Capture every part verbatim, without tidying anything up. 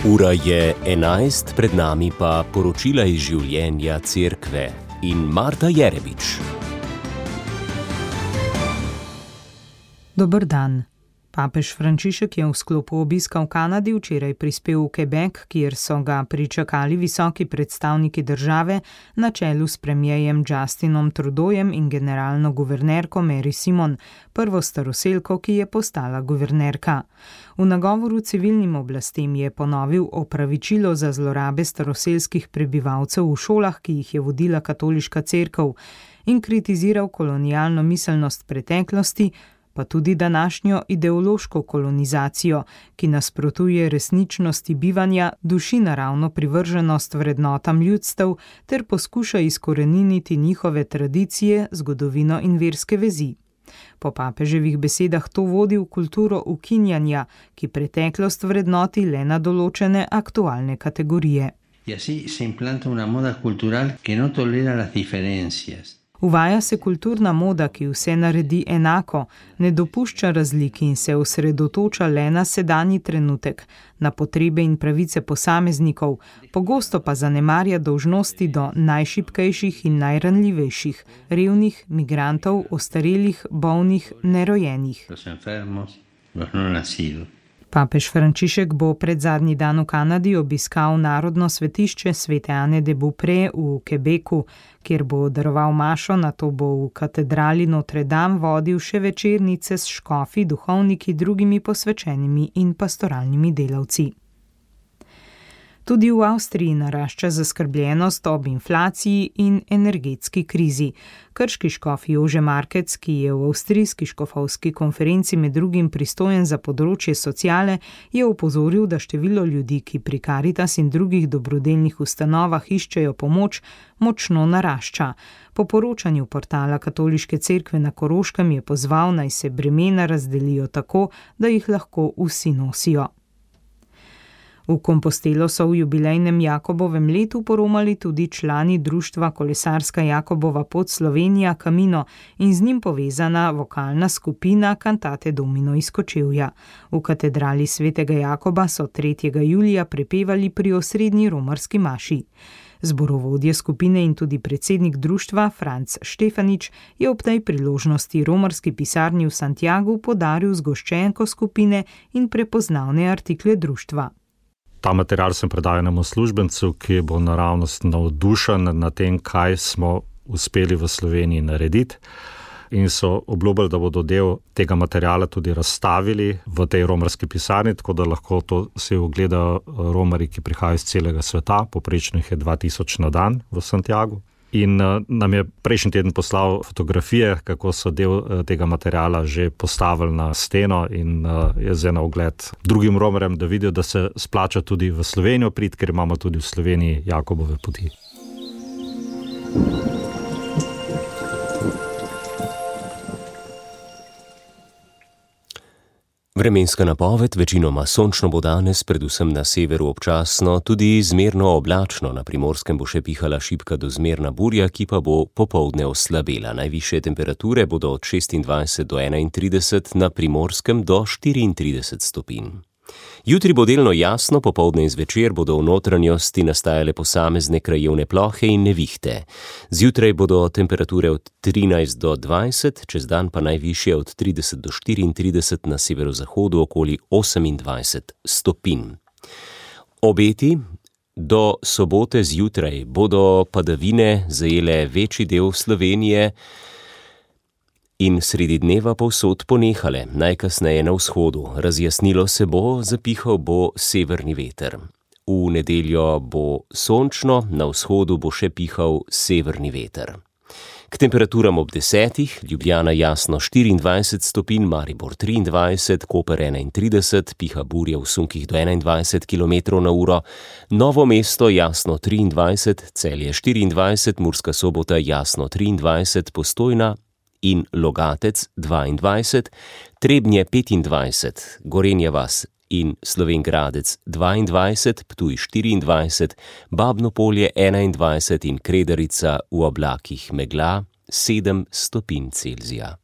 Ura je enajst, pred nami pa poročila iz življenja cerkve in Marta Jerebič. Dober dan. Papež Frančišek je v sklopu obiska v Kanadi včeraj prispel v Quebec, kjer so ga pričakali visoki predstavniki države na čelu s premierjem Justinom Trudeaujem in generalno guvernerko Mary Simon, prvo staroselko, ki je postala guvernerka. V nagovoru civilnim oblastem je ponovil opravičilo za zlorabe staroselskih prebivalcev v šolah, ki jih je vodila katoliška cerkev, in kritiziral kolonialno miselnost preteklosti, pa tudi današnjo ideološko kolonizacijo, ki nasprotuje resničnosti bivanja, duši naravno privrženost vrednotam ljudstev ter poskuša izkoreniniti njihove tradicije, zgodovino in verske vezi. Po papeževih besedah to vodi v kulturo ukinjanja, ki preteklost vrednoti le na določene aktualne kategorije. Y así se implanta una moda cultural que no tolera las diferencias. Uvaja se kulturna moda, ki vse naredi enako, ne dopušča razlik in se osredotoča le na sedanji trenutek, na potrebe in pravice posameznikov, pogosto pa zanemarja dolžnosti do najšibkejših in najranljivejših, revnih, migrantov, ostarelih, bolnih, nerojenih. Los enfermos, los no nacidos. Papež Frančišek bo pred zadnji dan v Kanadi obiskal narodno svetišče Svete Ane de Beaupré v Quebecu, kjer bo daroval mašo, nato bo v katedrali Notre Dame vodil še večernice s škofi, duhovniki, drugimi posvečenimi in pastoralnimi delavci. Tudi v Avstriji narašča zaskrbljenost ob inflaciji in energetski krizi. Krški škof Jože Markec, ki je v avstrijski škofovski konferenci med drugim pristojen za področje sociale, je opozoril, da število ljudi, ki pri Caritas in drugih dobrodelnih ustanovah iščejo pomoč, močno narašča. Po poročanju portala Katoliške cerkve na Koroškem je pozval, naj se bremena razdelijo tako, da jih lahko vsi nosijo. V Kompostelo so v jubilejnem Jakobovem letu poromali tudi člani društva Kolesarska Jakobova pot Slovenija Camino in z njim povezana vokalna skupina Cantate Domino iz Kočevja. V katedrali Svetega Jakoba so tretjega julija prepevali pri osrednji romarski maši. Zborovodje skupine in tudi predsednik društva Franc Štefanič je ob tej priložnosti romarski pisarni v Santiagu podaril zgoščenko skupine in prepoznavne artikle društva. Ta material sem predal enemu službencu, ki bo naravnost navdušen nad tem, kaj smo uspeli v Sloveniji narediti, in so obljubili, da bodo del tega materiala tudi razstavili v tej romarski pisarni, tako da lahko to si ogledajo romari, ki prihajajo iz celega sveta, poprečno jih je dva tisoč na dan v Santiagu. In uh, nam je prejšnji teden poslal fotografije, kako so del uh, tega materiala že postavili na steno in uh, je zdaj na ogled drugim romarjem, da vidijo, da se splača tudi v Slovenijo priti, ker imamo tudi v Sloveniji Jakobove poti. Vremenska napoved, večinoma sončno bo danes, predvsem na severu občasno, tudi zmerno oblačno, na Primorskem bo še pihala šibka do zmerna burja, ki pa bo popoldne oslabela. Najvišje temperature bodo od šestindvajset do enaintrideset, na Primorskem do štiriintrideset stopinj. Jutri bo delno jasno, popoldne in zvečer bodo v notranjosti nastajale posamezne krajevne plohe in nevihte. Zjutraj bodo temperature od trinajst do dvajset, čez dan pa najvišje od trideset do štiriintrideset, na severozahodu okoli osemindvajset stopinj. Obeti do sobote zjutraj bodo padavine zajele večji del Slovenije in sredi dneva povsod ponehale, najkasneje na vzhodu. Razjasnilo se bo, zapihal bo severni veter. V nedeljo bo sončno, na vzhodu bo še pihal severni veter. K temperaturam ob desetih, Ljubljana jasno štiriindvajset stopinj, Maribor triindvajset, Koper enaintrideset, piha burja v sunkih do enaindvajset kilometrov na uro, Novo mesto jasno triindvajset, Celje štiriindvajset, Murska Sobota jasno triindvajset, Postojna in Logatec dvaindvajset, Trebnje petindvajset, Gorenja vas in Slovenj Gradec dvaindvajset, Ptuj štiriindvajset, Babno Polje enaindvajset in Kredarica v oblakih megla sedem stopinj Celzija.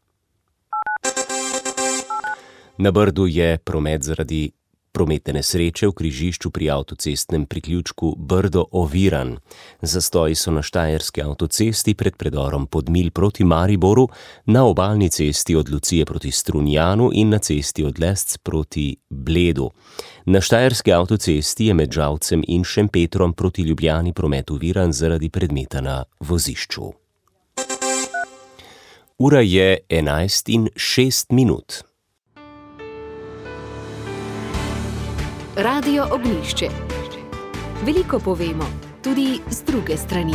Na Brdu je promet zaradi Prometne nesreče v križišču pri avtocestnem priključku Brdo-Oviran. Zastoji so na štajerski avtocesti pred predorom Podmilj proti Mariboru, na obalni cesti od Lucije proti Strunjanu in na cesti od Lesc proti Bledu. Na štajerski avtocesti je med Žalcem in Šempetrom proti Ljubljani promet oviran zaradi predmeta na vozišču. Ura je enajst in šest minut. Radio Ognjišče. Veliko povemo, tudi z druge strani.